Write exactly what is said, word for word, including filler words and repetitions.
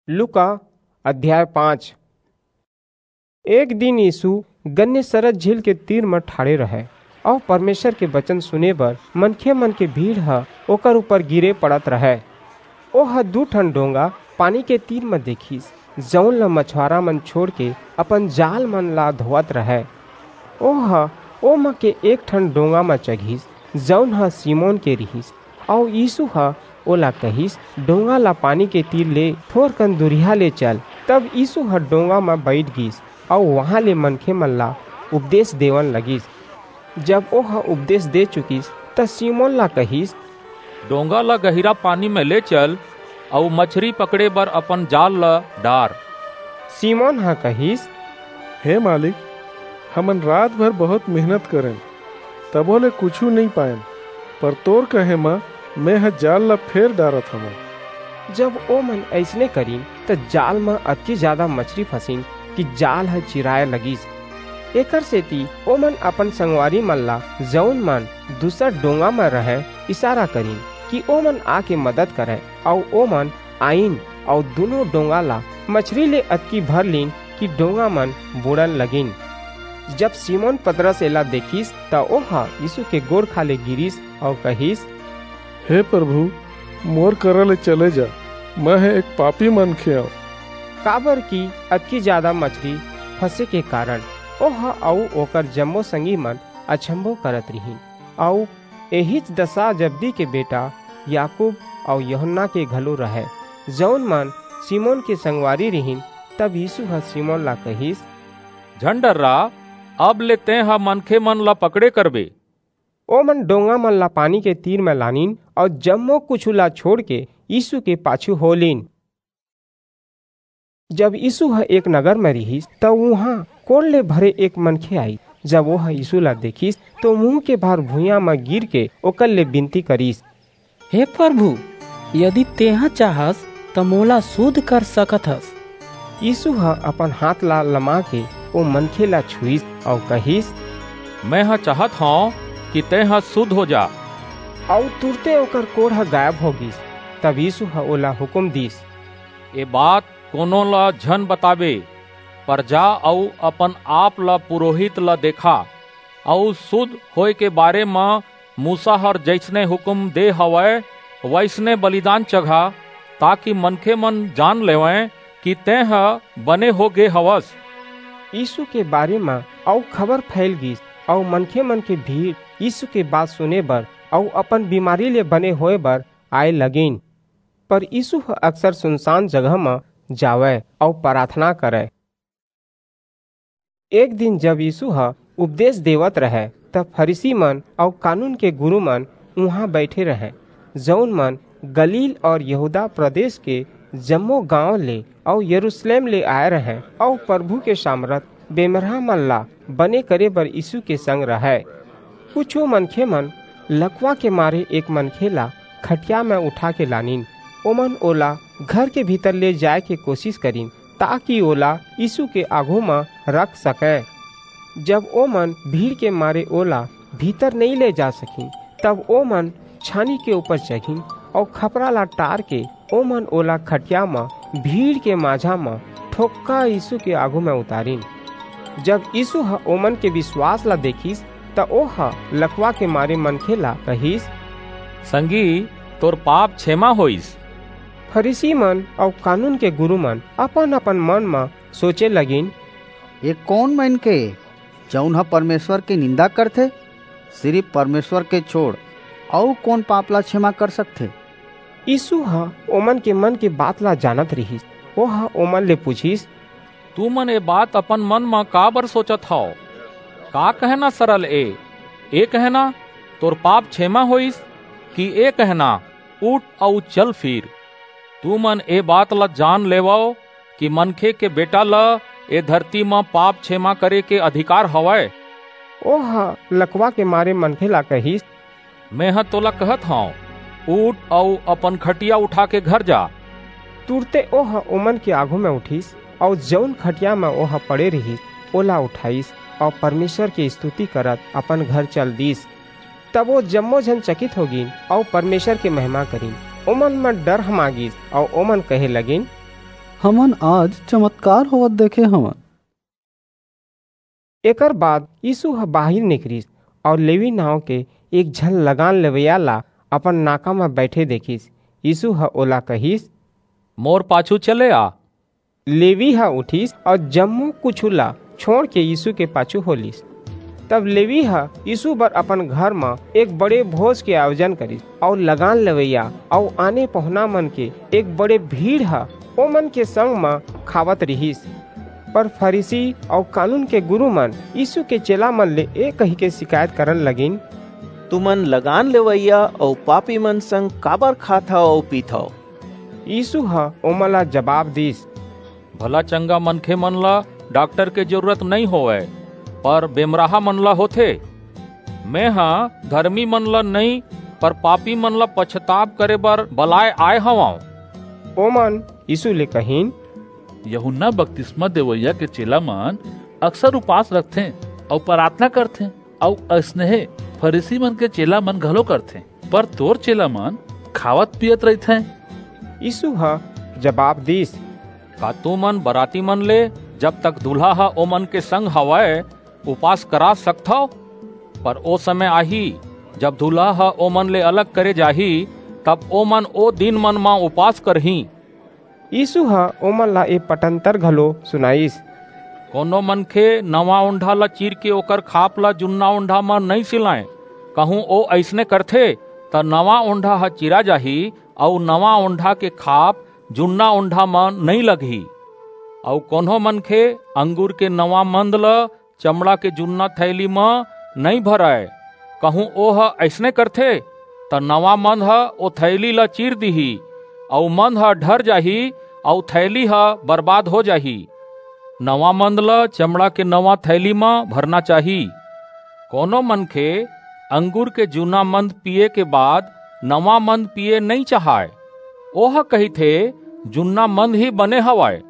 लूका अध्याय पाँच। एक दिन यीशु गन्नेसरत झील के तीर म ठाढ़े रहय, अऊ परमेसर के बचन सुने बर मनखेमन के भीड़ ह ओकर ऊपर गिरे पड़त रहय। ओह दू ठन डोंगा पानी के तीर म देखिस, जऊन ल मछुआरामन छोंड़के अपन जालमन ला धोवत रहय। ओह ओमा के एक ठन डोंगा म चघिस, जऊन ह सिमोन के रिहिस, अऊ यीसू ह ओला कहिस, "डोंगा ला पानी के तीर ले थोरकन दूरिहा ले चल।" तब यीसू ह डोंगा म बईठ गीस, अऊ उहां ले मनखेमन ला उपदेस देवन लगिस। जब ओह उपदेस दे चुकिस, त सिमोन ला कहिस, "डोंगा ला गहिरा पानी म ले चल, अऊ मछरी पकड़े बर अपन जाल ला डार।" सिमोन ह कहिस, "हे मालिक, हमन रात भर बहुंत मेहनत करेन, तभो ले कुछू नइं पाएन, पर तोर कहे म मेंह जाल ला फेर डारत हवंव।" जब ओमन अइसने करिन, त जाल म अतकी जादा मछरी फंसिन कि जाल ह चिराय लगिस। एकरसेति ओमन अपन संगवारीमन ला, जऊन मन दूसर डोंगा म रहंय, इसारा करिन कि ओमन आके मदद करंय, अऊ ओमन आईन अऊ दूनों डोंगा ला मछरी ले अतकी भर लीन कि डोंगामन बूड़न लगिन। जब सिमोन पतरस एला देखिस, त ओह यीसू के गोड़ खाल्हे गिरिस अऊ कहिस, "हे परभू, मोर करा ले चले जा, मेंह एक पापी मनखे अंव।" काबरकि अतकी जादा मछरी फंसे के कारन ओह अऊ ओकर जम्मो संगीमन अचम्भो करत रिहिन, अऊ एहीच दसा जब्दी के बेटा याकूब अऊ यूहन्ना के घलो रहय, जऊन मन सिमोन के संगवारी रिहिन। तब यीसू ह सिमोन ला कहिस, "झन डर्रा, अब ले तेंह मनखेमन ला पकड़े करबे।" ओमन डोंगामन ला पानी के तीर म लानिन अऊ जम्मो कुछू ला छोंड़के यीसू के पाछू हो लीन। जब यीसू ह एक नगर म रिहिस, त उहां कोढ़ ले भरे एक मनखे आईस। जब ओह यीसू ला देखिस, त मुहूं के भार भुइयां म गिरके ओकर ले बिनती करिस, "हे परभू, यदि तेंह चाहस, त मोला सुध कर सकत हस।" यीसू ह अपन हांथ ला लमाके ओ मनखे ला छुईस अऊ कहिस, "मेंह चाहत हंव कि तेंह सुध हो जा।" अऊ तुरते ओकर कोढ़ ह गायब हो गीस। तब यीसू ह ओला हुकूम दीस, "ए बात कोनो ला झन बताबे, पर जा अऊ अपन-आप ला पुरोहित ला देखा, अऊ सुध होय के बारे म मूसा हर जइसने हुकूम दे हवय, वइसने बलिदान चघा, ताकि मनखेमन जान लेवंय कि तेंह बने हो गे हवस।" यीसू के बारे म अऊ खबर फइल गीस, अऊ मनखेमन के भीड़ यीसू के बात सुने बर अऊ अपन बीमारी ले बने होय बर आय लगिन। पर यीसू ह अक्सर सुनसान जगह म जावय अऊ पराथना करय। एक दिन जब यीसू ह उपदेस देवत रहय, त फरीसीमन अऊ कानून के गुरूमन उहां बईठे रहंय, जऊन मन गलील अऊ यहूदा प्रदेस के जम्मो गांव ले अऊ यरूसलेम ले आय रहंय, अऊ परभू के सामरथ बेमरहामन ला बने करे बर यीसू के संग रहय। कुछू मनखेमन लकवा के मारे एक मनखे ला खटिया म उठाके लानिन। ओमन ओला घर के भीतर ले जाय के कोसिस करिन, ताकि ओला यीसू के आघू म रख सकंय। जब ओमन भीड़ के मारे ओला भीतर नइं ले जा सकिन, तब ओमन छानी के ऊपर चघिन अऊ खपरा ला टारके ओमन ओला खटिया म भीड़ के माझा म ठोक्का यीसू के आघू म उतारिन। जब यीसू ह ओमन के बिसवास ला देखिस, त ओह लकवा के मारे मनखे ला कहिस, "संगी, तोर पाप छेमा होईस।" फरीसीमन अऊ कानून के गुरूमन अपन-अपन मन म सोचे लगिन, "ए कोन मनखे ए, जऊन ह परमेसर के निंदा करथे? सिरिप परमेसर के छोंड़ अऊ कोन पाप ला छेमा कर सकथे?" यीसू ह ओमन के मन के बात ला जानत रिहिस। ओह ओमन ले पुछिस, "तुमन ए बात अपन मन म काबर सोचत हव? का कहना सरल ए? ए कहना, 'तोर पाप छेमा होईस,' कि ए कहना, 'उठ अऊ चल फिर'? तुमन ए बात ला जान लेवव कि मनखे के बेटा ल ए धरती म पाप छेमा करे के अधिकार हवय।" ओह लकवा के मारे मनखे ला कहिस, "मेंह तोला कहत हंव, उठ अऊ अपन खटिया उठाके घर जा।" तुरते ओह ओमन के आघू म उठिस, अऊ जऊन खटिया म ओह पड़े रिहिस, ओला उठाईस, अऊ परमेसर के स्तुति करत अपन घर चल दीस। तब ओ जम्मो झन चकित हो गीन, अऊ परमेसर के महिमा करिन। ओमन म डर हमा गीस, अऊ ओमन कहे लगिन, हमन आज चमत्कार होवत देखे हवन। एकर बाद यीशु ह बाहिर निकरिस अऊ लेवी नांव के एक झन लगान लेवइया ला अपन नाका म बइठे देखिस। यीशु ह ओला कहिस, "मोर पाछू चले आ।" लेवी ह उठिस अऊ जम्मो कुछू ला छोंड़ के यीशु के पाछू होलिस। तब लेवी ह यीशु बर अपन घर म एक बड़े भोज के आयोजन करिस, अऊ लगान लेवइया अऊ आने पहुना मन के एक बड़े भीड़ ह ओमन के संग म खावत रिहिस। पर फरीसी अऊ कानून के गुरू मन यीशु के चेला मन ले ए कहिके शिकायत करन लगिन, "तुमन लगान लेवइया अऊ पापी मन संग काबर खाथव अऊ पीथव?" यीशु ह ओमन ला जबाब दीस, "भला चंगा मनखे मन ला डॉक्टर के जरूरत नइं होवय, पर बेमराहा मन ला होथे। मेंह धरमी मन ला नइं, पर पापी मन ला पछताप करे बर बलाय आय हवंव।" ओमन यीशु ले कहिन, "यूहन्ना बपतिस्मा देवइया के चेला मन अक्सर उपास रखथें अऊ पराथना करथें, अऊ अइसनहे फरीसी मन के चेला मन घलो करथें, पर तोर चेला मन खावत पीयत रहिथें।" यीशु ह जबाब दीस, "का तुमन बराती मन ले, जब तक दूल्हा ह ओमन के संग हवय, उपास करा सकथव? पर ओ समय आही, जब दूल्हा ह ओमन ले अलग करे जाही, तब ओमन ओ दिन मन म उपास करहीं।" यीशु ह ओमन ला ए पटंतर घलो सुनाईस, "कोनो मनखे नवा ओंढा ला चीर के ओकर खाप ला जुन्ना ओंढा म नइं सिलाय। कहूं ओ अइसने करथे, त नवा ओंढा ह चीरा जाही, अऊ नवा ओंढा के खाप जुन्ना ओंढा म नइं लगही। अऊ कोनो मनखे अंगूर के नवा मंद ल चमड़ा के जुन्ना थैली म नइं भरय। कहूं ओह अइसने करथे, त नवा मंद ह ओ थैली ल चीर दिही, अऊ मंद ह ढर जाही, अऊ थैली ह बरबाद हो जाही। नवा मंद ल चमड़ा के नवा थैली म भरना चाही। कोनो मनखे अंगूर के जुन्ना मंद पीये के बाद नवा मंद पीये नइं चाहय। ओह कहिथे, 'जुन्ना मंद ही बने हवय।'